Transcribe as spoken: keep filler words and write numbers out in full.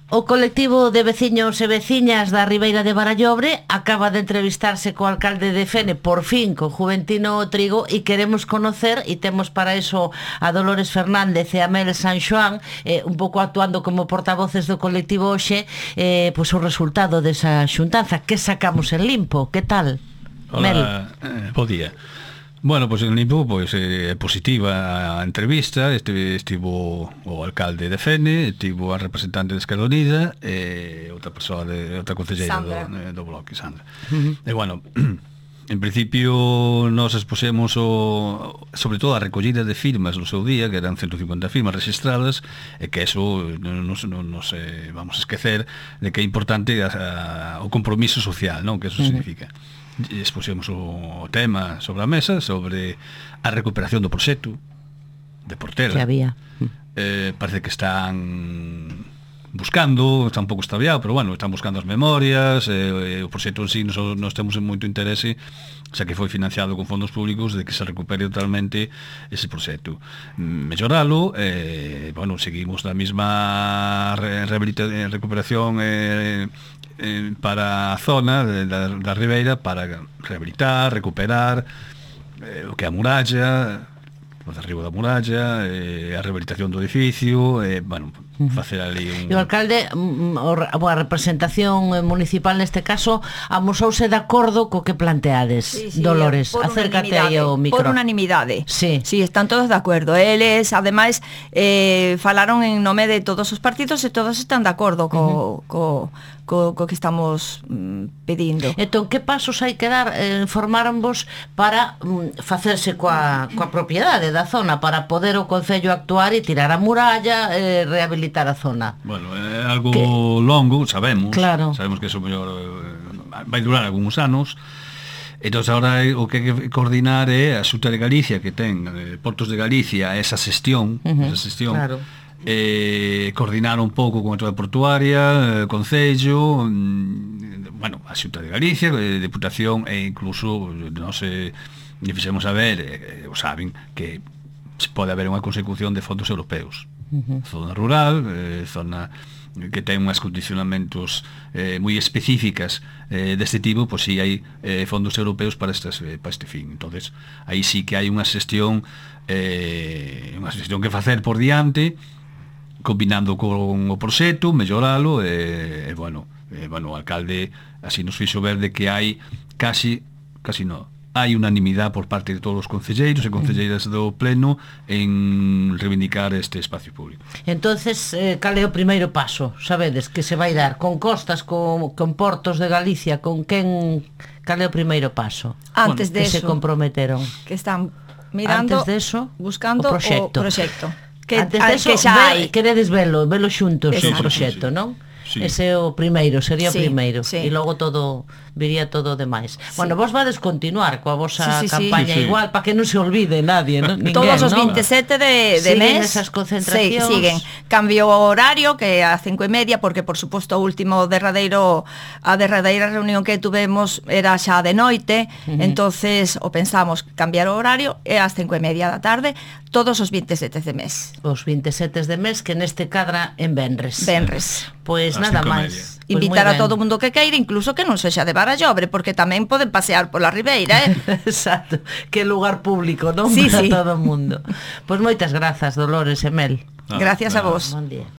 O colectivo de veciños e veciñas da Ribeira de Barallobre acaba de entrevistarse co alcalde de Fene, por fin, con Juventino Trigo, e queremos conocer, e temos para eso a Dolores Fernández e a Mel San Xoán, eh, un pouco actuando como portavoces do colectivo hoxe, eh, pois o resultado desa xuntanza. Que sacamos en limpo? Que tal? Hola, Mel. eh, bo día. Bueno, pois pues, en limpo, pois pues, é eh, positiva a entrevista. Este, estivo o alcalde de Fene, estivo a representante de Esquerda Unida e outra persoa de outra concelleira do, do Bloque, Sandra. Uh-huh. E bueno, en principio nos exposemos o, sobre todo a recollida de firmas no seu día, que eran ciento cincuenta firmas registradas, e que eso non nos, non nos eh, vamos a esquecer de que é importante a, a, o compromiso social, non? Que eso uh-huh. significa. Expusemos o tema sobre a mesa sobre a recuperación do proxecto de Portela que había. Eh, parece que están buscando, está un pouco extraviado, pero bueno, están buscando as memorias, eh, o proxecto en sí nos, nos temos moito interese, xa que foi financiado con fondos públicos, de que se recupere totalmente ese proxecto. Melloralo, eh, bueno, seguimos na mesma re, recuperación eh, eh, para a zona de, da, da Ribeira, para rehabilitar, recuperar eh, o que é a muralla, o derribo da muralla, eh, a rehabilitación do edificio, eh, bueno, facer ali un... E o alcalde, a representación municipal neste caso, amosouse de acordo co que planteades. Sí, sí, Dolores, acércate aí ao micro. Por unanimidade. Sí. Sí, están todos de acordo. Eles, ademais, eh, falaron en nome de todos os partidos e todos están de acordo co... Uh-huh. co Co, co que estamos mm, pedindo. Entón, que pasos hai que dar? Eh, formáronvos para mm, facerse coa, coa propiedade da zona, para poder o Concello actuar e tirar a muralla, eh, rehabilitar a zona. Bueno, é algo que... longo, sabemos. Claro. Sabemos que eso mellor eh, vai durar algúns anos. Entón, agora o que hai que coordinar é a Xunta de Galicia, que ten eh, Portos de Galicia, esa xestión, uh-huh. esa xestión. Claro. Eh, coordinar un pouco con a Autoridade Portuaria, eh, Concello, mm, bueno, a Xunta de Galicia, eh, Deputación e incluso non se lle fixemos saber, eh, o saben que pode haber unha consecución de fondos europeos. Uh-huh. Zona rural, eh, zona que ten unhas condicionamentos eh, moi específicas eh, deste tipo, pois si hai eh, fondos europeos para, estas, eh, para este fin. Entonces, aí sí que hai unha xestión eh, unha xestión que facer por diante, combinando con o proxecto, melloralo e, e bueno, e, bueno, o alcalde así nos fixo ver de que hai casi, casi non, hai unanimidade por parte de todos os concelleiros e concelleiras do pleno en reivindicar este espacio público. Entonces, eh, cal é o primeiro paso? Sabedes que se vai dar con costas, con, con portos de Galicia, con quen, cal é o primeiro paso? Antes bueno, de que eso, se comprometeron. Que están mirando, antes de eso, buscando o proxecto. O proxecto. Que, antes de eso, que xa hai. Queredes velo, velo xuntos o sí, proxecto, sí, sí. non? Sí. Ese é o primeiro, sería sí, o primeiro sí. E logo todo, viría todo o demais. Sí. Bueno, vos vades continuar coa vosa sí, sí, campaña sí. igual, para que non se olvide nadie, ¿no? Ninguén, todos os ¿no? veintisiete de, de siguen mes esas concentracións. Sí, siguen. Cambio horario que a cinco e media, porque por suposto o último derradeiro, a derradeira reunión que tuvemos era xa de noite, uh-huh. entonces o pensamos cambiar o horario e ás cinco e media da tarde todos os veintisiete de mes. Os veintisiete de mes, que neste cadra en venres. Venres. Pois nada máis. Pues invitar a todo o mundo que queira, incluso que non sexa de Barallobre, porque tamén poden pasear pola Ribeira, eh? Exacto, que lugar público, non? Sí, para sí. todo o mundo. Pois moitas grazas, Dolores e Mel. Gracias a vos. Bon día.